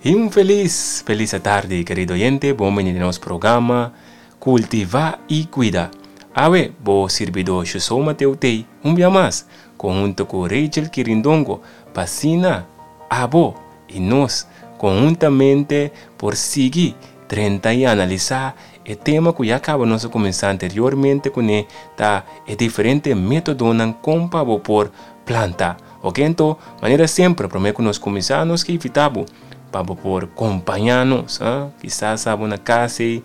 Y un feliz, feliz tarde, querido oyente. Bon bini den nos programa Cultiva y Cuida. Awe, bo sirbidó Shusou Mateo tei un bia mas, conhunto cu Rachel Kirindongo, pa asina abo y nos conhuntamente por sigui drenta y analisa e tema cu ya caba nos a cuminsa anteriormente cune, ta e diferente metodonan con pa bo por planta. Ok anto, manera semper, promé ku nos kuminsá, nos ke invitá bo pa bo por kompañá nos. Kisas abo na kas ei,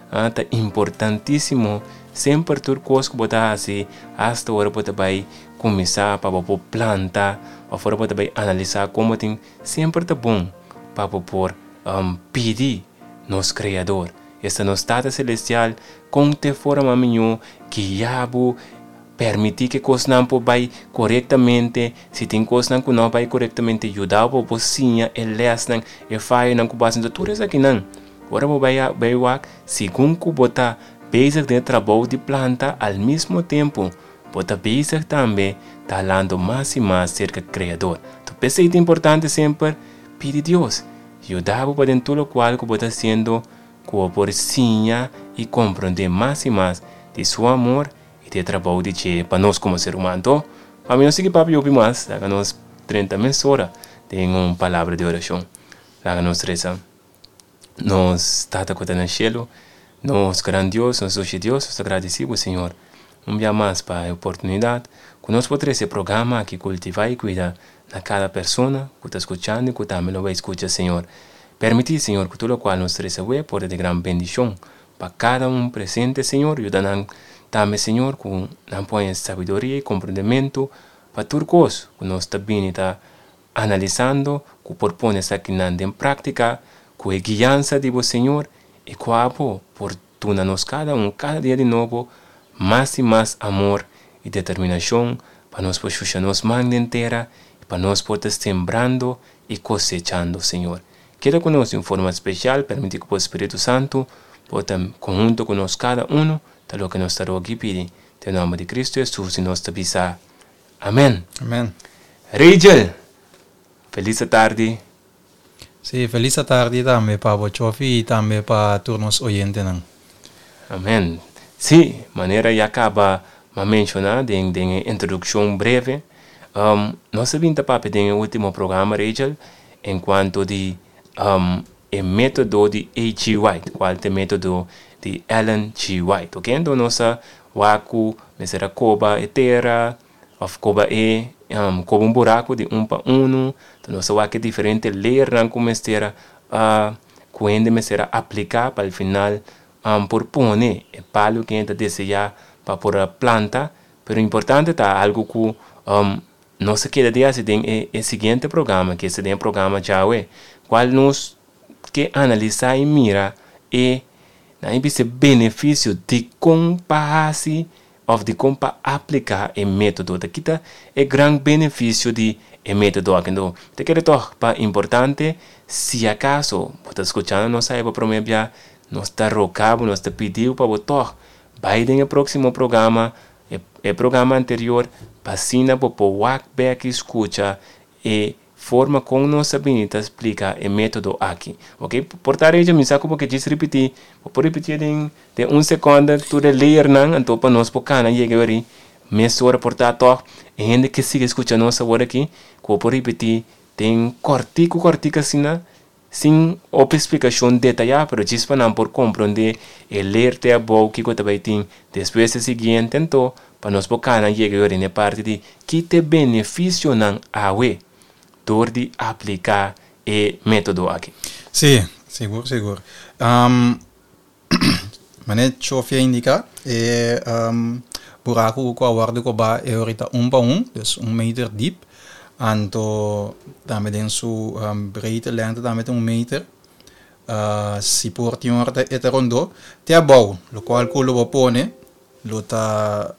ta importantísimo semper tur kos ku bo ta hasi, asta ora bo ta bai kuminsá pa bo por planta òf ora bo ta bai analisá kon bo tin, semper ta bon pa bo por pidi nos Kreador, esta nos Tata Selestial, kon te forma mihó guia bo. Permití ku e kosnan por bai korektamente. Si tin kosnan ku no a bai korektamente, yuda bo bo siña e lèsnan, e fayonan ku bo hasi. Enton tur esakinan, ora bo bai bai wak, segun ku bo ta bezig den e trabou di planta, al mismo tempu bo ta bezig tambe ta halando mas i mas serka Kreador. Enton p'esei ta importante semper pidi Dios yuda bo pa den tur lokual ku bo ta hasiendo ku bo por siña i komprondé mas i mas di su amor I ta e trabou di dje pa nos komo ser humano. Anto, pa mi no sigui papia hopi mas, laga nos drenta mesora den un palabra di orashon. Laga nos resa. Nos Tata ku ta na shelu, nos gran Dios, nos dushi Dios, nos ta gradisí bo, Señor, un bia mas pa e oportunidat ku nos por trese e programa aki Kultivá i Kuida na kada persona ku ta skuchando i ku tambe lo bai skucha, Señor. Permití, Señor, ku tur lokual nos trese awe por ta di gran bendishon Pa kada un presente, Señor, yuda nan tambe, Señor, ku nan por haña sabiduria i komprendementu pa tur kos ku nos ta bini ta analisando, ku por pone esakinan den práktika ku e guiansa di bo, Señor, i ku abo por duna nos kada un kada dia di nobo mas i mas amor i determinashon pa nos por shusha nos man den tera i pa nos por ta sembrando i kosechando, Señor. Keda ku nos di un forma spesial, permití ku bo Spiritu Santu por ta konhunto ku nos kada unu, ta loke nos ta roga i pidi, den nòmber di Kristu Hesus i nos ta bisa, Amèn. Amèn. Rachel, felis atardi. Sí, felis atardi tambe pa bo Chofi i tambe pa tur nos oyentenan. Amèn. Sí, manera ya kaba m'a menshoná den den e introdukshon breve, nos a bin ta papia den e último programa, Rachel, En cuanto di e metodo di AG White, cual ta e metodo di Ellen G. White, ok? Enton nos a wak cu mester a coba e tera of coba e coba un buraco di un pa uno, enton nos a wak e diferente layernan cu mester a cu hende mester a aplica pa al final por pone e palo cu hende ta desea pa por a planta, pero importante ta algo cu Nos a keda di hasi den e e siguiente programa, ke esta den e programa djawe, kual nos ke analisá i mira e, nan e bisa e benefisio dikon pa hasi òf dikon pa apliká e método. Ta kita e gran benefisio di e método aki. Anto, mi ta kere tòg pa importante, si akaso bo ta skuchando nos awe pa promé bia, nos ta roga bo, nos ta pidi bo pa bo tòg bai den e próksimo programa E programa anterior pa asina bo por wak bek i skucha e forma kon nos a bini ta splika e metodo aki. Ok, por ta recha mi sa ku bo ke djis ripití, bo por ripitié den den un sekonde tur e layernan anto pa nos por kana yega weri mesora por ta tòg e hende ke sigui skucha nos awor aki ku bo por ripití den kòrtiku kòrtiku asina Sin hopi splikashon detayá, pero djis pa nan por komprondé e leer te abou kiko ta bai tin despues e siguiente anto pa nos por kana yega yora den e parti di ki t'e benefisionan awe dor di apliká e método aki. Sí, sigur sigur. Manera Chofia a indiká, e buraku ku a wòrdu kobá e ora ta un pa un, dus un meter dip. Anto tambe den su breedte, lengte tambe ta un meter. Si por tin ora e ta rondó te abou, lokual ku lo bo pone lo ta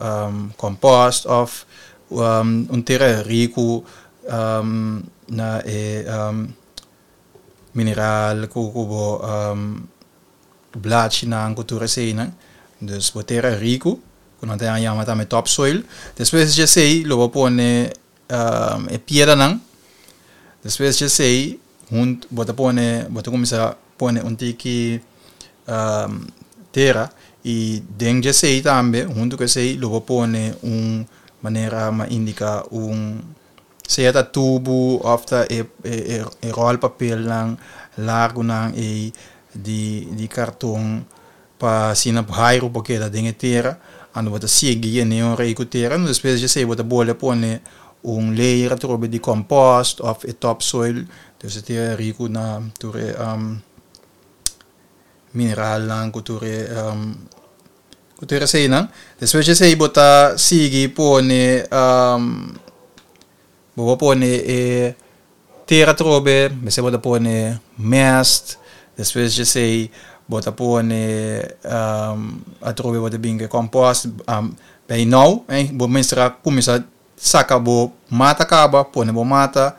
kòmpòst òf un tera riku na e mineral ku ku bo blachinan ku tur eseinan. Dus bo tera riku ku nan ta yama tambe topsoil. Despues di esei lo bo pone e piedranan. Despues di esei. Hunt bo ta pone bo ta kuminsá pone un tiki tera i den dje esei tambe huntu ku esei lo bo pone un manera mi a indiká un sea ta tubu òf ta e e ròl papelnan largunan ei di di karton pa asina hairu por keda den e tera anto bo ta sigui yene un rei ku tera anto despues di esei bo ta bolbe pone un layer atrobe di compost of e topsoil dus e tera riku na tur e mineralnan ku tur e ku tur eseinan despues di esei bo ta sigui pone bo por pone e Tera atrobe, mester bo ta pone mest, despues dje esei bo ta pone atrobe bo ta bin ku e compost. Bay nou bo mester a kuminsá saka bo mata kaba, pone bo mata,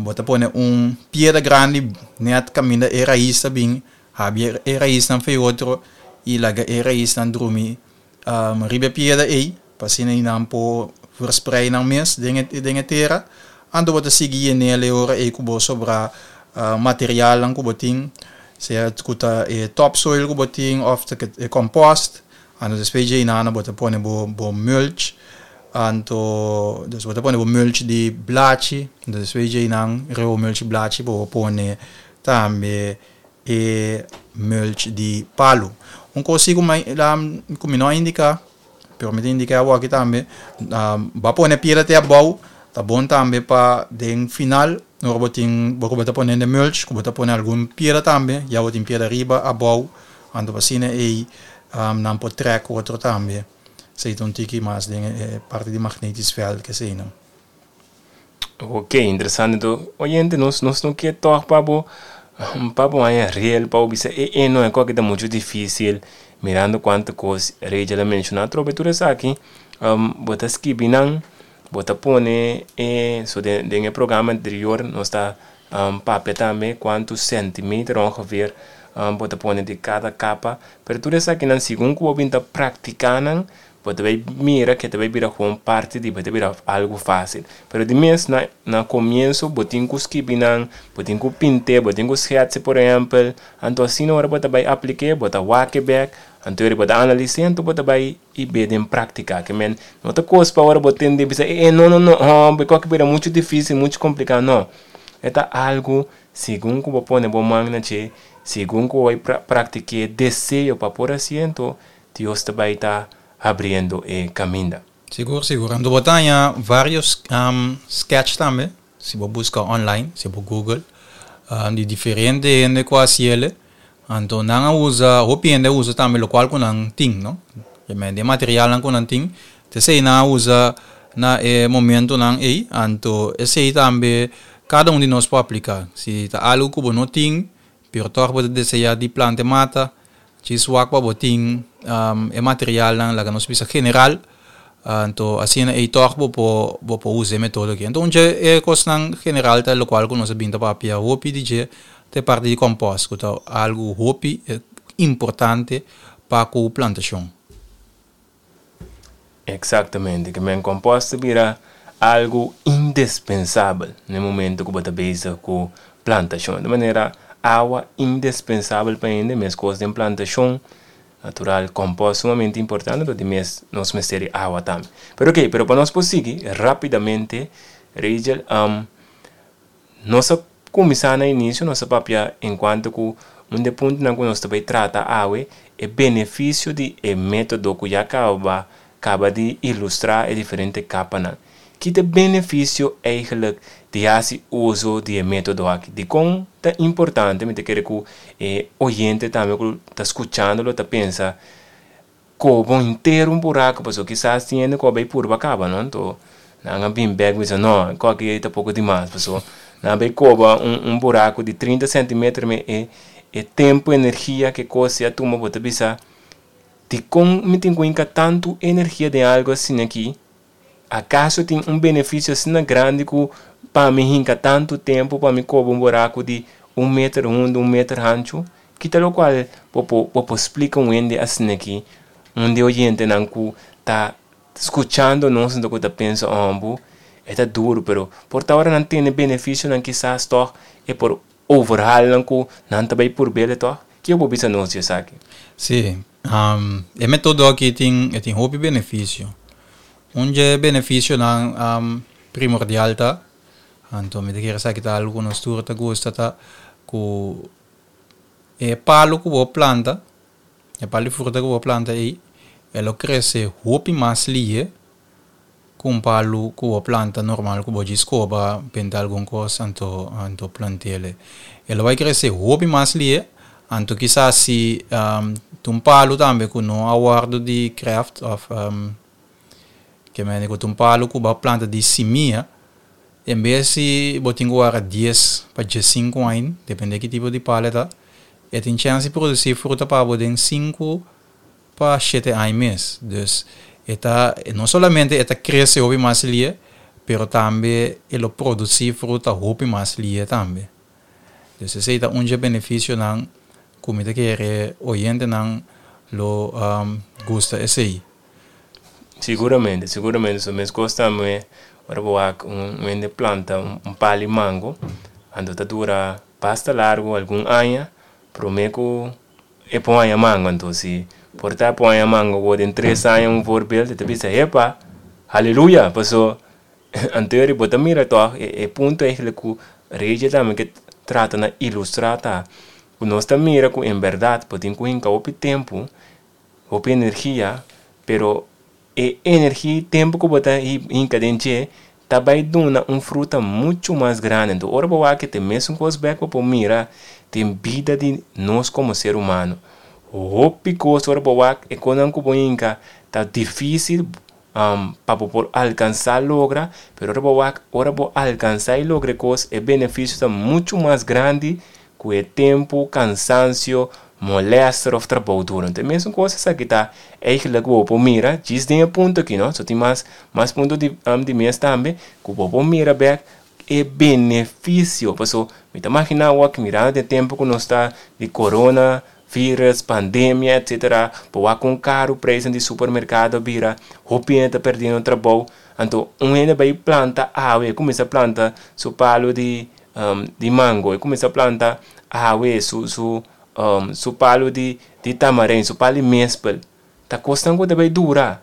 bo ta pone un piedra grandi nèt kaminda e rais ta bin, habia e raisnan for e otro i laga e raisnan drumi Riba e piedra ei, pa asina ei nan por versprei nan mes den e den e tera. Anto bo ta sigui yenel e ora ei ku bo sobrá materialnan ku bo tin, sea ku ta e topsoil ku bo tin òf ta e kòmpòst. Anto despues dje einan bo ta pone bo bo mulch, anto dus bo ta pone bo mulch di blachi, anto despues dje einan riba bo mulch di blachi bo por pone tambe e mulch di palu. Un kos si ku mi no a indiká, pero mi ta indiká awor aki tambe, bo a pone piedra te abou, ta bon tambe pa den final ora bo tin bo ku bo ta pone den mulch ku bo ta pone algun piedra tambe, ya bo tin piedra riba, abou, anto asina ei nan por trèk otro tambe. Esei ta un tiki mas den e parti di magnetisch veld keseinan. Ok, interesante to. Oyente, nos nos no ke tòg pa bo pa bo haña rel pa bo bisa e e no e kòke ta muchu difísil mirando kuantu kos Rachel a menshoná atrobe tur esaki bo ta skibi nan bo ta pone e so den den e programa anterior nos ta papia tambe kuantu sèntimeter ongeveer bo ta pone di kada kapa pero tur esakinan segun ku bo bin ta praktiká nan Bo ta bay mira ke ta bay bira gewoon parti di bo, ta bira algo facil. Pero di mes na na comienso bo tin cu skibi nan, bo tin cu pint'e, bo tin cu schetse por ehempel, anto asina ora bo ta bay aplik'e bo ta wak e bek, anto ora bo ta analis'e anto bo ta bay y be den practica. Ke men no ta cos pa ora bo tende bisa e e no no no homber cu a bira mucho dificil, mucho complica, no. E ta algo segun cu bo pone bo man na dje, segun cu bo bay practic'e deseo pa por haci'e anto Dios ta bai ta habriendo e kaminda. Sigur, sigur. Anto bo ta haña varios sketch tambe, si bo buska online, si bo google, di diferente hende ku a hasiele. Anto nan a usa, hopi hende a usa tambe lokual ku nan tin, no? Realmente e materialnan ku nan tin, ta esei nan a usa na e momentonan ei. Anto esei tambe kada un di nos por apliká. Si ta algu ku bo no tin, pero tòg bo ta deseá di planta e mata, Djis wak pa bo tin e materialnan laga nos bisa general, anto asina ei tòg bo por bo por usa e metodo aki. Anto un dje e kosnan general ta lokual ku nos a bin ta papia hopi di dje ta e parti di kòmpòst ku ta algu hopi importante pa ku plantashon. Exactamente, ke men compost ta bira algo indespensabel na e momento ku bo ta bezig ku plantashon. Di manera awa indespensabel pa hende, meskos den plantashon natural compost sumamente importante, pero di mes nos mester di awa tambe. Pero ok, pero pa nos por sigui rapidamente Rachel, Nos a kuminsá na inisio, nos a papia enkuanto ku un di e puntonan ku nos ta bai trata awe, e benefisio di e método ku ya kaba kaba di ilustrá e diferente kapanan. Ki ta e benefisio eigelijk di hasi uso di e método aki? Dikon ta importante? Mi ta kere ku e oyente tambe ku ta skuchando lo ta pensa, Kobo henter un buraco pasobra kisas tin hende ku a bai purba kaba no anto nan a bin bek bisa no e koki ei ta poko dimas pasobra nan a bai koba un un buraco di trinta centimeter me e e tempo energia ke kos a tuma bo ta bisa dikon mi tin ku hinka tantu energia den algo asina aki Akaso tin un benefisio asina grandi ku pa mi hinka tantu tempu pa mi koba un buraku di un meter hundu, un meter hanchu? Ki ta lokual bo por bo por splika un hende asin'aki, un di oyentenan ku ta skuchando nos anto ku ta pensa, Ombu, E ta duru, pero por ta ora nan tende benefisionan kisas tòg e por overhaal nan ku nan ta bai purb'el tòg. Kiko bo bisa nos di esaki? Sí, e metodo aki tin e tin hopi benefisio. Un dje benefisionan primordial ta, anto mi ta kere esaki ta algu ku nos tur ta gusta ta ku e palu ku bo planta, e palu di fruta ku bo planta ei, e lo krese hopi mas lihe ku un palu ku bo planta normal ku bo djis koba benta algun kos anto anto plant'el. E lo bai krese hopi mas lihe, anto kisas si ta un palu tambe ku no a wòrdu di krèft òf ke mende ku ta un palu ku bo a planta di simia, en bes di bo tin ku wara dies pa diesinku aña, depende ki tipo di palu e ta, e tin chèns di produsí fruta pa bo den sinku pa shete aña mes. Dus e ta no solamente e ta krese hopi mas lie, pero tambe e lo produsí fruta hopi mas lie tambe. Dus esei ta un dje benefisionan ku mi ta kere oyentenan lo gusta esei. Siguramente, siguramente. So meskos tambe ora bo wak un hende planta un pali mango, anto ta dura basta largu, algun aña, promé ku E por haña mango anto si por ta por haña mango bo den tres aña un voorbeeld e ta bisa hepa haleluya paso anto eri bo ta mira tog e punto eigenlijk ku Rachel tambe ke trata na ilustra ta ku nos ta mira ku en berdad bo tin ku hinka hopi tempu hopi energia pero e energia i tempu ku bo ta hinka den dje ta bai duna un fruta muchu mas grandi. Anto ora bo wak e mesun kos bek bo por mira den bida di nos komo ser humano. Hopi kos ora bo wak e kosnan ku bo hinka ta difisil pa bo por alkansa logra, pero ora bo wak ora bo alkansa i logra e kos e benefisio ta muchu mas grandi ku e tempu, kansansio, molèster òf trabou duru. Anto e mesun kos esaki ta eigentlik ku bo por mira djis den e punto aki no, so tin mas mas punto di di mes tambe ku bo por mira bèk e benefisio paso mi ta maginá awor mirando den tempu ku nos ta di corona virus, pandemia etcetera bo wak kon karu preisnan di supermerkado a bira hopi hende ta perdiendo trabou anto un hende bai planta awe e kuminsá planta su palu di di mango, e kuminsá planta awe su su su palu di di tamarin, su palu di mespel, ta kosnan ku ta bai dura.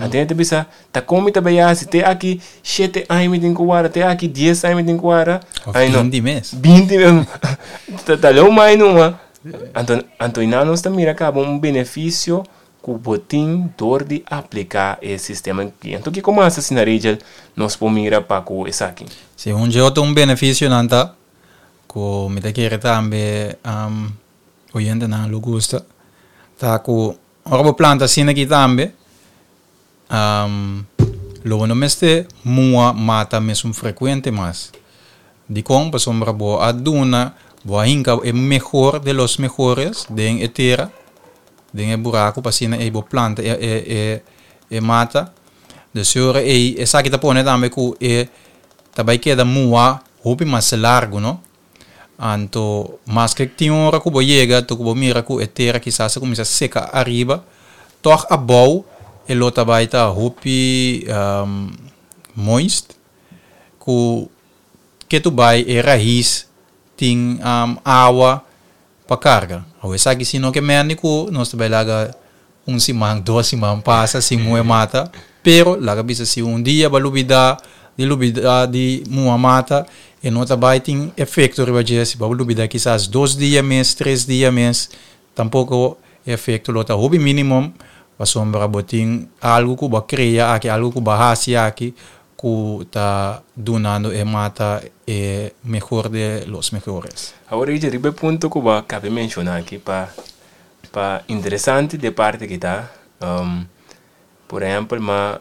Anto hende ta bisa, ta kon mi ta bai hasi? Te aki shete aña mi tin ku warda, te aki dies aña mi tin ku warda. Òf binti mes. Binti mes. Ta ta leu mai numa. Anto anto einan nos ta mira kaba un benefisio ku bo tin dor di apliká e sistema aki. Anto kiko mas asina Rachel nos por mira pa ku esaki? Si, un dje otro un benefisionan ta ku mi ta kere tambe oyentenan lo gusta ta ku ora bo planta asina aki tambe lo bo no mester mua mata mesun frekuente mas. Dikon? Pasobra bo a duna, bo a hinka e mehor de los mehores den e tera, den e buraku pa asina ei bo planta e e e e mata. Dus e ora ei esaki ta pone tambe ku e ta bai keda muha hopi mas largu no. Anto maske tin ora ku bo yega to ku bo mira ku e tera kisas a kuminsá seka ariba, tòg abou e lo ta bai ta hopi moist ku ke tu bai e rais tin awa pa karga. Awe esaki si no ke mende ku nos ta bai laga un siman, dos siman pasa sin muhe mata, pero laga bisa si un dia bo a lubida di lubida di muha mata e no ta bai tin efekto riba dje, si bo a lubida kisas dos dia mes, tres dia mes, tampoko e efekto lo ta hopi minimum pasobra bo tin algu ku bo a krea aki, algu ku bo a hasi aki ku ta dunando e mata e mehor de los mehores. Awor Richard, riba e punto ku bo a kabe menshoná aki pa pa interesante di e parti aki ta, por ehèmpel ma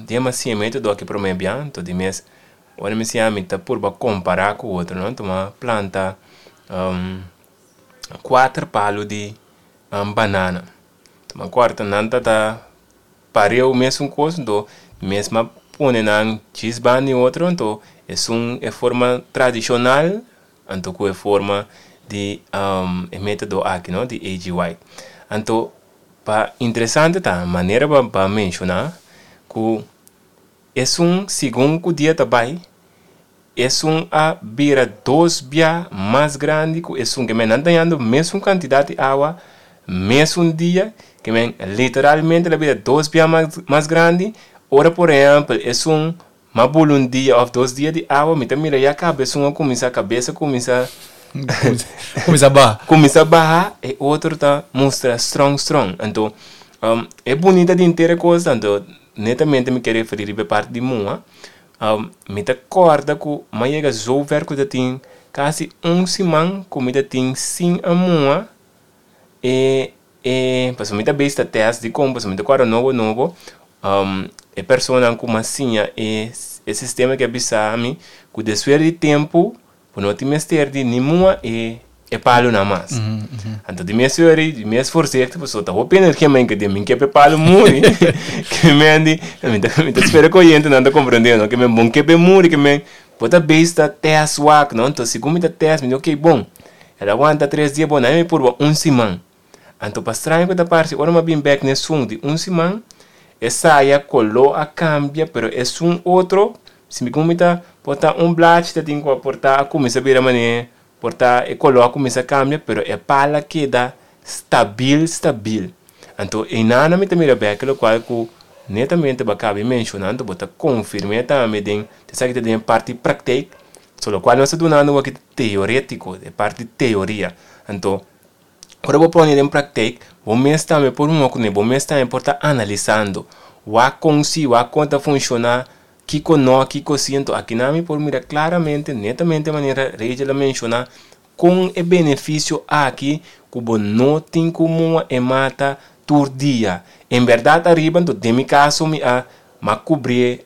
den mi a siña metodo aki promé bia, anto di mes ora mi siña mi ta purba kompará ku otro no, anto mi a planta kuater palu di banana, anto mi a kòrta nan ta ta Pareu mesun kos anto mes ma pone nan djis banda di otro anto esun e forma tradishonal anto ku e forma di e metodo aki no di AG White. Anto pa interesante ta manera bo a menshoná ku. Esun segun ku dia ta bai, esun a bira dos bia mas grandi ku esun. Ke men nan ta hañando mesun kantidat di awa, mesun dia, ke men literalmente el a bira dos bia mas mas grandi. Ora por ehèmpel esun m'a bula un dia òf dos dia di awa, mi ta mira ya kaba esun a kuminsá kabes a kuminsá Kuminsá baha. Kuminsá baha, e otro ta mustra strong strong. Anto e bunita di henter e kos anto netamente mi ke referí riba e parti di mua. Mi ta kòrda ku mi a yega zover ku ta tin kasi un siman ku mi ta tin sin a mua e e pasobra mi ta bes ta tèst dikon pasobra mi ta kòrda nobo nobo e personanan ku mi a siña e e sistema ke a bisa mi ku despues di tempu Bo no tin mester di ni mua e e palunan mas. Anto di mes ora di mes voorzichtig pasobra ta hopi energia men ke den mi ke pa e palu muri ke men di mi ta mi ta spera ku oyentenan ta komprende no ke men bon ke pa e muri ke men bo ta bes ta test wak no anto segun mi ta test mi di ok bon el a wanta tres dia bon nan mi purba un siman anto pa straño ku ta parse ora mi a bin bek na esun di un siman e saya koló a kambia pero esun otro Si mi ku ta por ta un blachi ta tin ku a por ta a kuminsá bira manera por ta e koló a kuminsá kambia pero e pala keda stabil stabil. Anto einan mi ta mira bek lokual ku netamente bo a kaba di menshoná anto bo ta konfirm'é tambe den esaki ta den e parti praktijk so lokual nos ta dunando aki ta teorétiko e parti teoria. Anto ora bo pone den praktijk bo mes tambe por hunga kuné bo mes tambe por ta analisando wak kon si wak kon ta funshoná Kiko no, kiko si, anto akinan mi por mira klaramente, netamente manera Rachel a menshoná, kon e benefisio aki ku bo no tin ku mua e mata tur dia. En bèrdat ariba, anto den mi kaso mi a m'a kubrié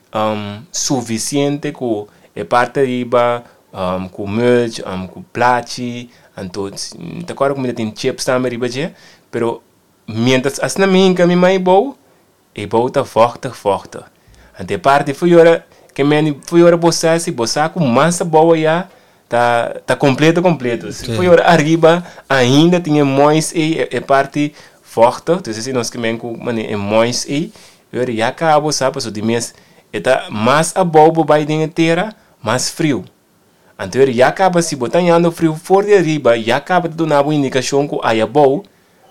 sufisiente ku e parti ariba ku mulch, ku plachi, anto mi ta kòrda ku mi ta tin chips tambe riba dje, pero miéntras asina mi hinka mi mai bou, E bou ta vochtig vochtig. Anto e parti fu yora ke meni fu yora bo sa si bo sa ku mas abou aya ta ta kompleto kompleto. Si fu yora ariba ainda tin e mois ei e parti vochtig dus esei nos ke men ku mane e mois ei yora ya kaba bo sa pasobra di mes e ta mas abou bo bai den e tera mas friu. Anto eri ya kaba si bo ta hañando friu for di ariba ya kaba ta duna bo indikashon ku aya bou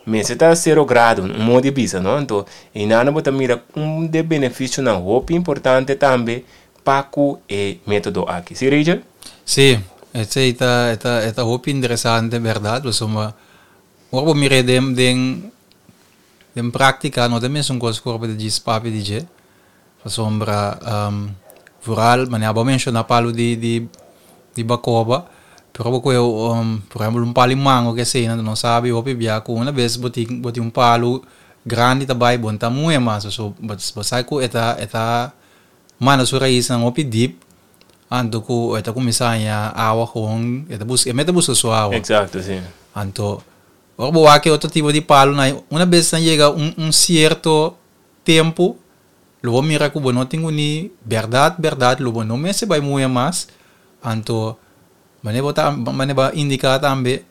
mester ta sero grado, un modo di bisa no. Anto einana bo ta mira un de benefisionan hopi importante tambe pa ku e metodo aki. Si Rachel? Si, esei ta e ta e ta hopi interesante bèrdat pasobra ora bo mir'é den den den práktika no ta mesun kos ku ora bo ta djis papia di dje. Pasobra vooral manera bo a menciona palu di di di bacoba pero bo coge por ehempel un palu di mango ke esey nan no sabi hopi bia cu una bes bo tin bo tin un palu grandi ta bay bo no ta muhe mas so bo sa cu e ta e ta manda su raisnan hopi dip anto cu e ta cuminsa haña awa gewoon e ta busca e mester busca su awa. Exacto si. Anto ora bo wak e otro tipo di palunan una bes nan yega un un cierto tempu Lo bo mira ku bo no tin uni bèrdat bèrdat lo bo no mester bai muhe mas, anto manera bo ta manera bo a indiká tambe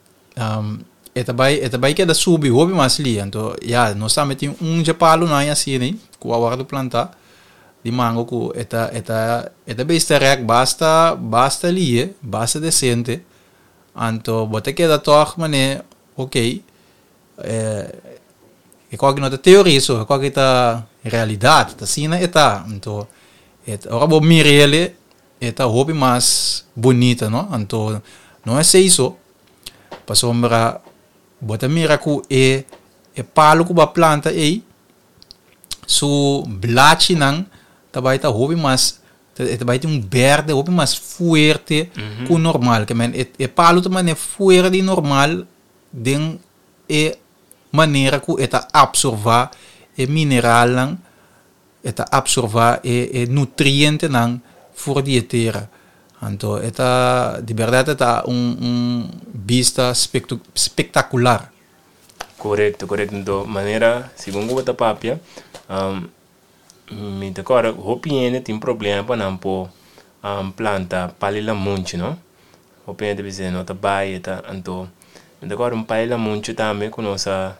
e ta bai e ta bai keda subi hopi mas lia, anto ya nos tambe tin un dje palunan asina ku a wòrdu plantá di mango ku e ta e ta e ta bes ta rèk basta basta lie basta desente anto bo ta keda tòg manera okey. E kòki no ta teoria so, e kòki ta realidat, ta asina e ta. Anto, e ora bo mir'el e ta hopi mas bunita, no? Anto, no esei so, pasobra bo ta mira ku e e palu ku bo a planta ei, su blachinan ta bai ta hopi mas, e ta bai tin un berde hopi mas fuerte ku normal. Ke men e palu ta manera fuera di normal den e manera ku e ta apsorvá e mineralnan, e ta apsorvá e e nutrientenan for di e tera. Anto e ta, di bèrdat e ta un un bista spektakular. Korekto, korekto. Anto manera segun ku bo ta papia, mi ta kòrda hopi hende tin problema pa nan por planta pali lamunchi no. Hopi hende ta bisa no ta bai e ta anto mi ta kòrda un pai lamunchi tambe ku nos a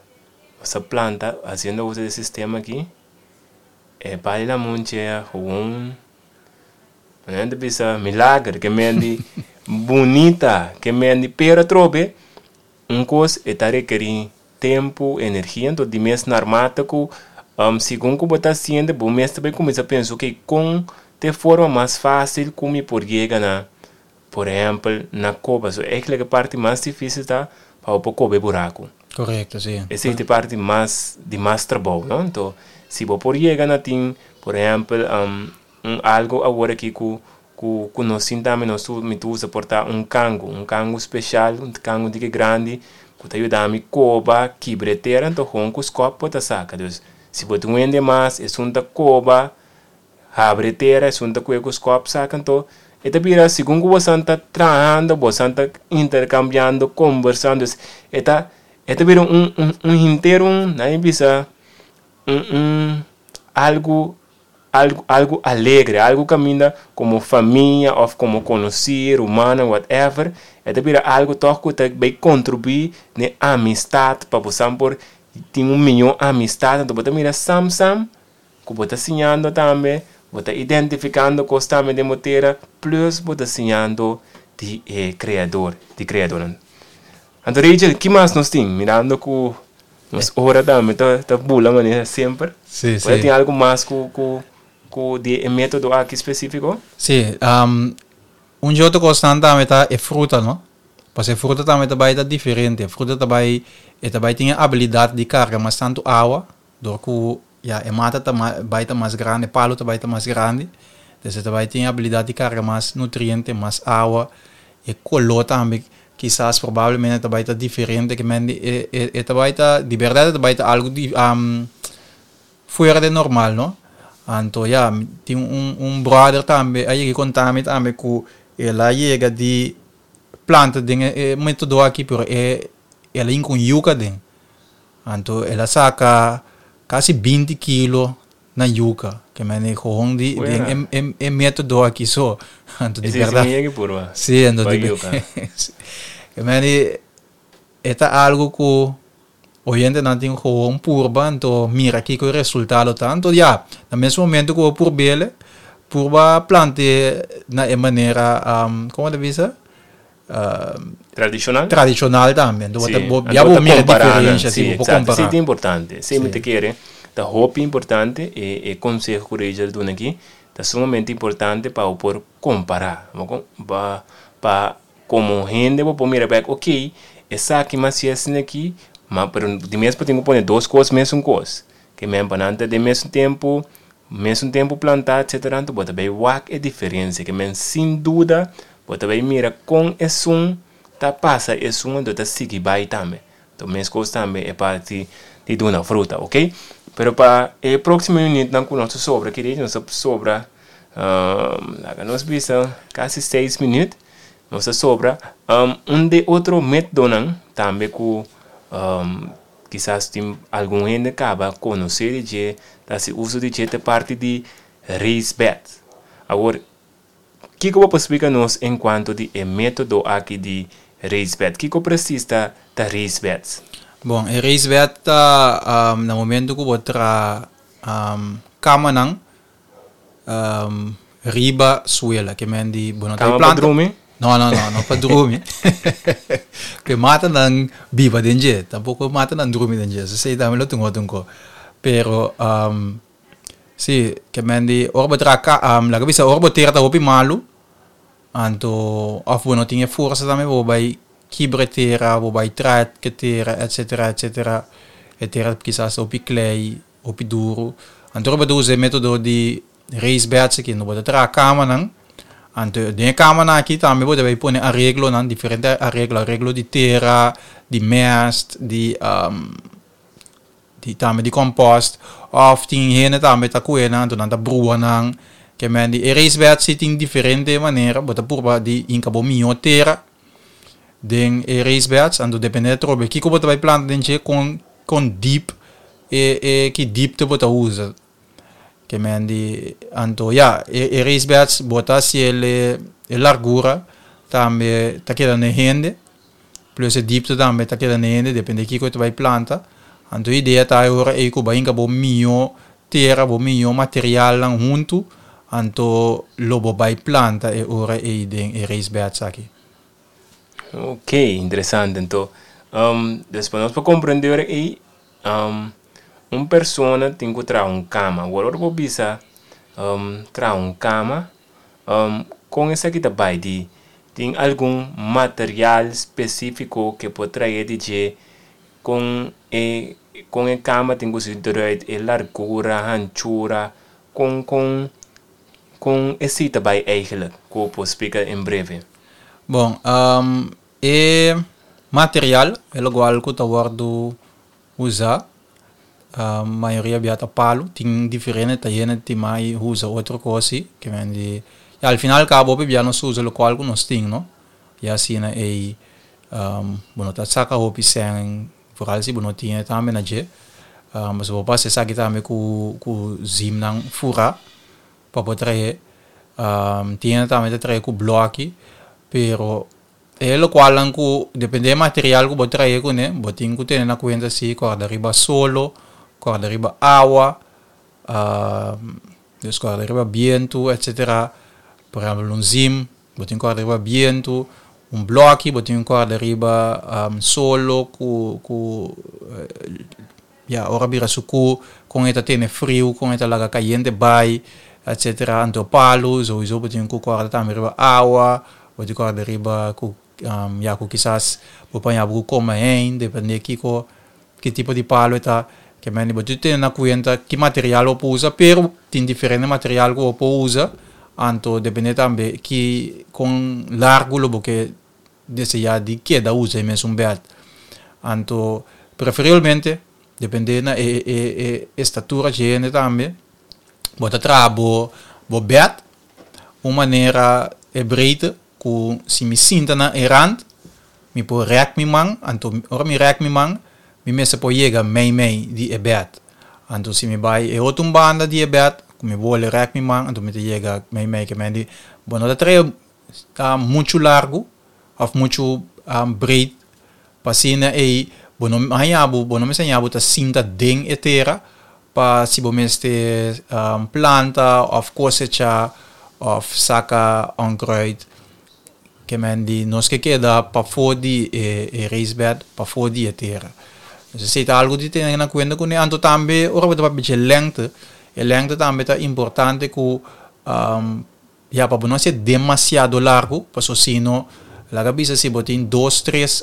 nos a planta hasiendo uso di e sistema aki e pai lamunchi a gewoon. Nan bisa milager, ke men di bunita, ke men di pero trobe, un kos e ta rekerí tempu, energia, anto di mes naarmate ku segun ku bo ta hasiendo, bo mes ta bai kuminsá pensa, ok, kon ta e forma mas fásil ku mi por yega na, por ehèmpel, na koba. So eigenlijk e parti mas difísil ta pa bo por koba e buraku. Korekto, si. Esei ta e parti mas di mas trabou, no? Anto si bo por yega na tin, por ehèmpel, un algo awor aki ku ku ku nos tin tambe nos tur mi ta usa por ta un kangu, un kangu speshal, un kangu diki grandi ku ta yuda mi koba kibra e tera anto hon ku skòp bo ta saka. Dus si bo tin un hende mas esun ta koba habri e tera esun ta kue ku skòp saka anto e ta bira segun ku bosan ta trahando bosan ta interkambiando kombersando dus e ta e ta bira un un un henter un nan bisa un un algu Algu algu alegre, algu kaminda komo famia òf komo konosí, rumannan, whatever, e ta bira algu tòg ku ta bai kontribuí den amistat pa bo san por tin un mihó amistat. Anto bo ta mira sam sam ku bo ta siñando tambe, bo ta identifikando kos tambe den bo tera, plus bo ta siñando di e Kreador, di Kreadornan. Anto Rachel, ki mas nos tin? Mirando ku nos ora tambe ta ta bula manera semper. Sí, sí. Bo tin algu mas ku ku ku di e metodo aki spesifiko? Sí, un dje otro kosnan tambe ta e fruta, no? Pasobra e fruta tambe ta bai ta diferente. E fruta ta bai, e ta bai tin e abilidat di karga mas tantu awa, dor ku ya e mata ta bai ta mas grandi, e palu ta bai ta mas grandi. Entonces e ta bai tin e abilidat di karga mas nutriente, mas awa. E koló tambe kisas probablemente ta bai ta diferente ke men di e e e ta bai ta di bèrdat e ta bai ta algu di fuera de normal no. Anto ya tin un un bròder tambe a yega konta mi tambe ku el a yega di planta den e metodo aki pero e el a hinka un yuka den. Anto el a saka kasi binti kilo na yuka. Ke men e gewoon di den e e metodo aki so. Anto di bèrdat. Ese si purba. Si, anto di yuka. Ke men di e ta algu ku oyentenan tin gewoon purba anto mira kiko e resultado ta. Anto ya, na mes momento ku bo purb'el, purba plant'é na e manera, komo ta bisa? Tradishonal? Tradishonal tambe. Anto Sí, bo anto ya bo bo ta mira kompará nan. diferensha, Sí, sí, bo por eksakto. kompará. Esei ta importante. Esei mi Sí. ta kere ta hopi importante e e konseho ku Rachel duna aki ta sumamente importante pa bo por kompará. Bo kon pa pa komo hende bo por mira bèk okey esaki mas si asina aki ma pero di mes bo tin ku pone dos kos mesun kos. Ke men pa nan ta den mesun tempu mesun tempu plantá etcetera anto bo ta bai wak e diferensia. Ke men sin duda Bo ta bai mira kon esun ta pasa esun anto ta sigui bai tambe. Anto meskos tambe e parti di duna fruta, ok? Pero pa e próksimo minütnan ku nos ta sobra aki nos ta sobra laga nos bisa kasi seis minüt nos ta sobra un de otro métodonan tambe ku kisas tin algun hende kaba konosé di dje ta hasi uso di dje ta e parti di raised bed. Awor Kiko bo por splika nos en kuanto di e método aki di raised bed? Kiko presis ta ta raised beds? Bon, e raised bed ta na momento ku bo traha kamanan riba suela, ke men di bo no ta Kama pa planta. drumi? No, no, no, no pa drumi. Ke matanan biba den dje, tampoko matanan drumi den dje, esei tambe lo tin otro un ko. Pero Sí, ke men di ora bo traha ka laga bisa ora bo tera ta hopi malu, anto òf bo no tin e forsa tambe bo bai kibra e tera, bo bai traha e tera etcetera etcetera, e tera kisas ta hopi klei, hopi duru. Anto ora bo ta usa e metodo di raised beds aki, bo ta traha kamanan, anto den e kamanan aki tambe bo ta bai pone areglonan, diferente areglo, areglo di tera, di mèst, di Di tambe di compost of tin hende tambe ta cuhe nan anto nan ta brua nan ke men di e raised bed si tin diferente manera bo ta purba di hinca bo miho tera den e raised beds anto depende atrobe kico bo ta bay planta den dje con con deep e e ki diepte bo ta usa ke men di anto ya e e raised beds bo ta haciel e largura tambe ta keda na e hende. Plus e diepte tambe ta keda nehende, depende kiko ta bai planta. Anto e idea ta e ora ei ku bai hinka bo mihó tera, bo mihó materialnan huntu, Anto lo bo bai planta e ora ei den e raised beds aki. Ok, interesante. Anto, dus pa nos por comprende ora ei, un persona tin cu traha un cama. Awor ora bo bisa traha un cama, con esaki ta bai? Di tin algun material specifico ke por trae di dje con e con e cama tin cu ser eruit, e largura, hanchura, Kon kon kon esei ta bai eigenlijk? Ku bo por splika en breve? Bon, e material e lokual ku ta wòrdu usá mayoria bia ta palu, tin diferente ta yena tin mai usa otro kos si, ke men di ya al final kaba hopi bia nos usa lokual ku nos tin no, ya asina ei bo no ta saka hopi sèn. Vooral si bo no tin e tambe na dje. Pasobra bo por hasi esaki tambe ku ku zimnan furá pa por trahe. Tin hende tambe ta trahe ku blòki, pero e lokualnan ku depende e material ku bo trahe kuné, bo tin ku tene na kuenta si kòrda riba solo, kòrda riba awa, dus kòrda riba bientu etsetera. Por ehèmpel un zim. Bo tin kòrda riba bientu, un blòki, bo tin kòrda riba solo ku ku ya ora bira sukú kon e ta tene friu, kon e ta laga kayente bai, etsetera. Anto palu souiso bo tin ku kòrda tambe riba awa, bo tin kòrda riba ku ya ku kisas bo paña bo ku kome hein, depende kiko ki tipo di palu e ta. Ke mende bo tin tene na kuenta ki material bo por usa, pero tin diferente material ku bo por usa, anto depende tambe ki kon largu lo bo ke deseá di keda usa e mesun bèt. Anto preferiblemente depende na e e e estatura dje hende tambe bo ta traha bo bo bèt un manera e breedte ku si mi sinta na e rand Mi por rèk mi man, anto ora mi rèk mi man, mi mester por yega mei mei di e bèt. Anto si mi bai e otro un banda di e bèt, ku mi bole rèk mi man, anto mi ta yega mei mei. Ke men di, bo no ta trae muchu largu òf muchu breed pa asina ei bo no haña bo, bo no mester haña bo ta sinta den e tera pa si bo mester planta òf kosechá òf saka onkruid. Ke men di nos ke keda pafó di e raised bed, pafó di e tera. Entonces esei ta algu di tene na kuenta kuné. Anto tambe ora bo ta papia dje lengte, e lengte tambe ta importante ku ya pa bo no hasié demasiado largu, paso si no laga bisa si bo tin dos tres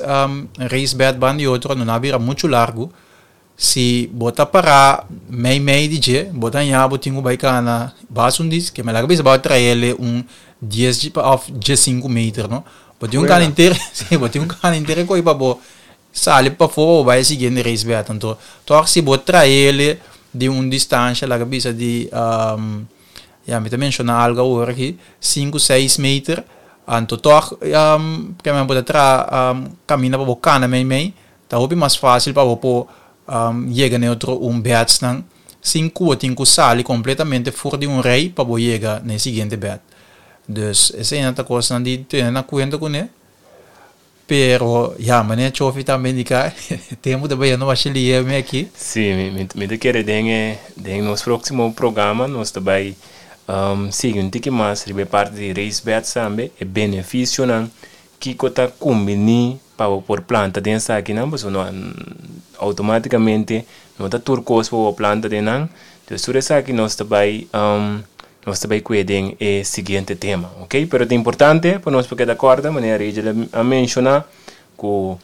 raised bed banda di otro no na bira muchu largu. Si bo ta pará mei mei di dje, bo ta haña bo tin ku bai kana bas un dis, ke mi laga bisa bo a traele un dies òf diesinku meter no. Bo tin un kana henter, si, bo tin un kana henter ko'i pa bo sali pafó pa bo bai e siguiente race bèt. Anto tòg si bo traele di un distansha laga bisa di ya mi ta menshoná algu awor aki, sinku seis meter, anto tòg ke men bo ta traha kaminda pa bo kana mei mei. Ta hopi mas fásil pa bo por yega na e otro un bèdsnan sin ku bo tin ku sali kompletamente for di un rei pa bo yega na e siguiente bèd. Dus eseinan ta kosnan di tene na kuenta kuné. Pero ya, manera Chofi tambe indiká, tempu ta bayendo masha lihe mi aki. Sí, mi mi ta kere den e den nos próksimo programa nos ta bai sigui un tiki mas riba e parti di raised beds tambe, e benefisionan Kiko ta kumbiní pa bo por planta den esakinan? Pasobra no outomátikamente no ta tur kos pa bo planta den nan. Entonces tur esaki nos ta bai nos ta bai kue den e siguiente tema, ok. Pero ta importante pa nos por keda kòrda manera Rachel a menshoná ku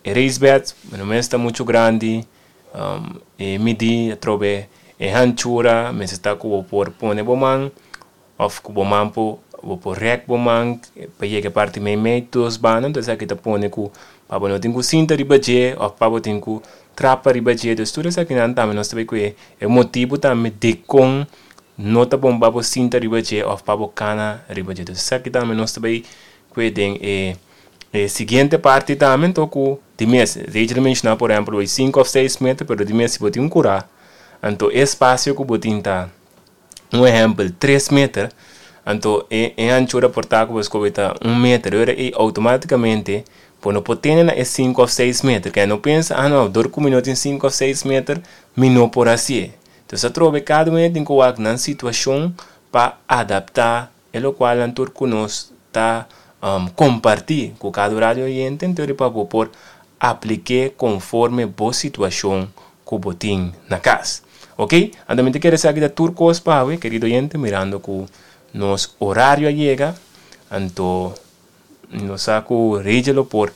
e raised bed no mester ta muchu grandi, e midí atrobe e hanchura mester ta ku bo por pone bo man. Of ku bo man por bo por rèk bo man pa yega e parti meimei dos banda, entonces esaki ta pone ku pa bo no tin ku sinta riba dje òf pa bo tin ku trapa riba dje. Entonces tur esakinan tambe nos ta bay ku e motibu tambe dikon no ta bon pa bo sinta riba dje òf pa bo kana riba dje. Entonces esaki tambe nos ta bay ku e den e e siguiente parti tambe anto ku di mes Rachel a menshoná por ehèmpel bo sinku òf seis meter pero di mes si bo tin un kurá anto e espasio ku bo tin ta Un ehèmpel, tres meter, anto e e hanchura por ta ku bo skohe ta un meter, ora ei outomátikamente bo no por tene na e sinku òf seis meter, keda no pensa, ah no, dor ku mi no tin sinku òf seis meter, mi no por hasié. Entonces atrobe kada un hende tin ku wak nan situashon pa adaptá e lokualnan tur ku nos ta kompartí ku kada radio oyente anto pa bo por aplik'é konforme bo situashon ku bo tin na kas. Ok, anto mi ta kere esaki ta tur kos pa awe, kerido oyente, mirando ku nos orario a yega, anto nos sa ku Rachel lo por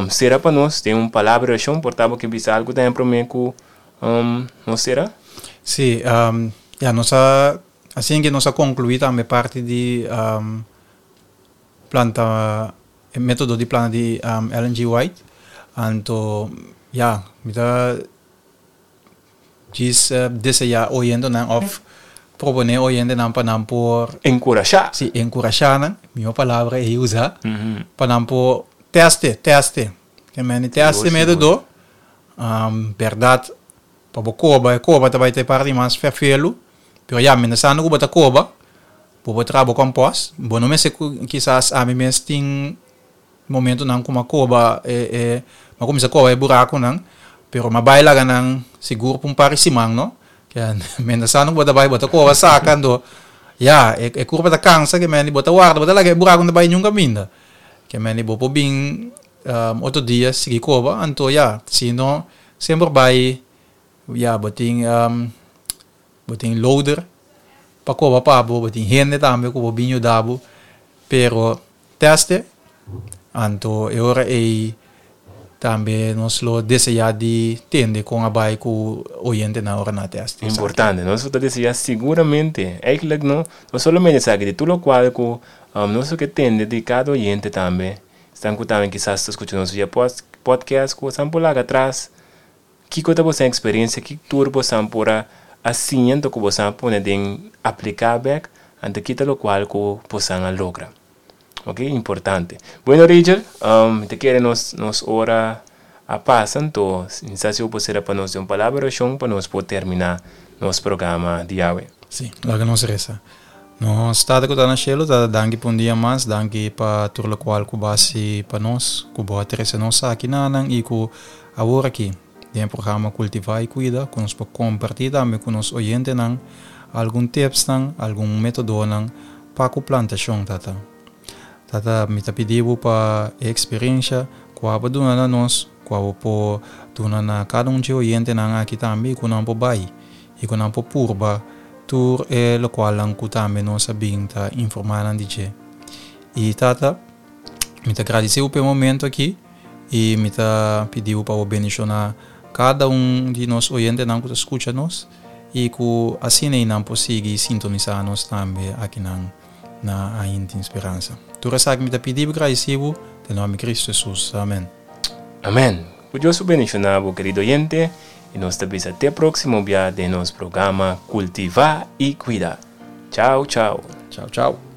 sera pa nos den un palabra di orashon, por ta bo ke bisa algu tambe promé ku nos sera? Sí, ya nos a Asina ke nos a konkluí tambe parti di planta e metodo di planta di Ellen G. White. Anto ya, mi ta djis deseá oyentenan òf proponé oyentenan pa nan por. Enkurashá. Sí, enkurashá nan, mihó palabra ei usá, pa nan por tèste, tèste. Ke mende tèste metodo, bèrdat Pa bo koba, e koba ta bai ta e parti mas ferfelu, pero ya, mientrasando ku bo ta koba, bo por traha bo kòmpòst. Bo no mester ku kisas ami mes tin momentunan ku mi a koba e e mi a kuminsá koba e burakunan, pero mi a bai laga nan sigur pa un par di siman no. Mientrasando ku bo ta bai bo ta koba saka, anto ya, e e kurpa ta kansa ke mende bo ta warda, bo ta laga e burakunan ta bai niun kaminda. Ke mende bo por bin otro dia sigui koba, anto ya, si no Semper bai ya bo tin bo tin loader pa koba pa bo, bo tin hende tambe ku bo bin yuda bo, pero teste anto e ora ei tambe nos lo desea di tende kon a bai ku oyentenan ora nan a teste. Importante, nos lo ta desea siguramente, eigenlijk no, no solamente esaki, di tur lokual ku nos lo ke tende di kada oyente tambe. Esnan ku tambe kisas ta skucha nos via podcast ku bosan por laga atras, kiko ta bosan eksperensia, ki tur bosan por a a siña anto ku bosan a pone den apliká bèk, anto ki ta lokual ku bosan a logra. Ok, importante. Bueno Rachel, mi ta kere nos nos ora a pasa, anto mi sa si bo por sera pa nos den un palabra orashon pa nos por terminá nos programa di awe. Sí, laga nos resa. Nos Tata ku ta na shelu, Tata danki pa un dia mas, danki pa tur lokual ku bo a hasi pa nos, ku bo a trese nos aki nanan i ku awor aki den e programa Kultivá i Kuida ku nos por kompartí tambe ku nos oyentenan algun tipsnan, algun metodonan pa ku plantashon, Tata. Tata, mi ta pidi bo pa e eksperensha ku abo duna na nos, ku abo por duna na kada un dje oyentenan aki tambe i ku nan por bai i ku nan por purba Tur e lokualnan ku tambe nos a bin ta informá nan di dje. I Tata, mi ta gradisé bo pa e momento aki i mi ta pidi bo pa bo bendishoná kada un di nos oyentenan ku ta skucha nos i ku asina ei nan por sigui sintonisá nos tambe akinan na Ainda Tin Speransa. Tur esaki mi ta pidi bo i gradisí bo den nòmber di Kristu Hesus. Amèn. Amèn. Ku Dios su bendishoná bo kerido oyente. I nos ta bisa te próksimo bia den nos programa Kultivá i Kuida. Chao, chao. Chao, chao.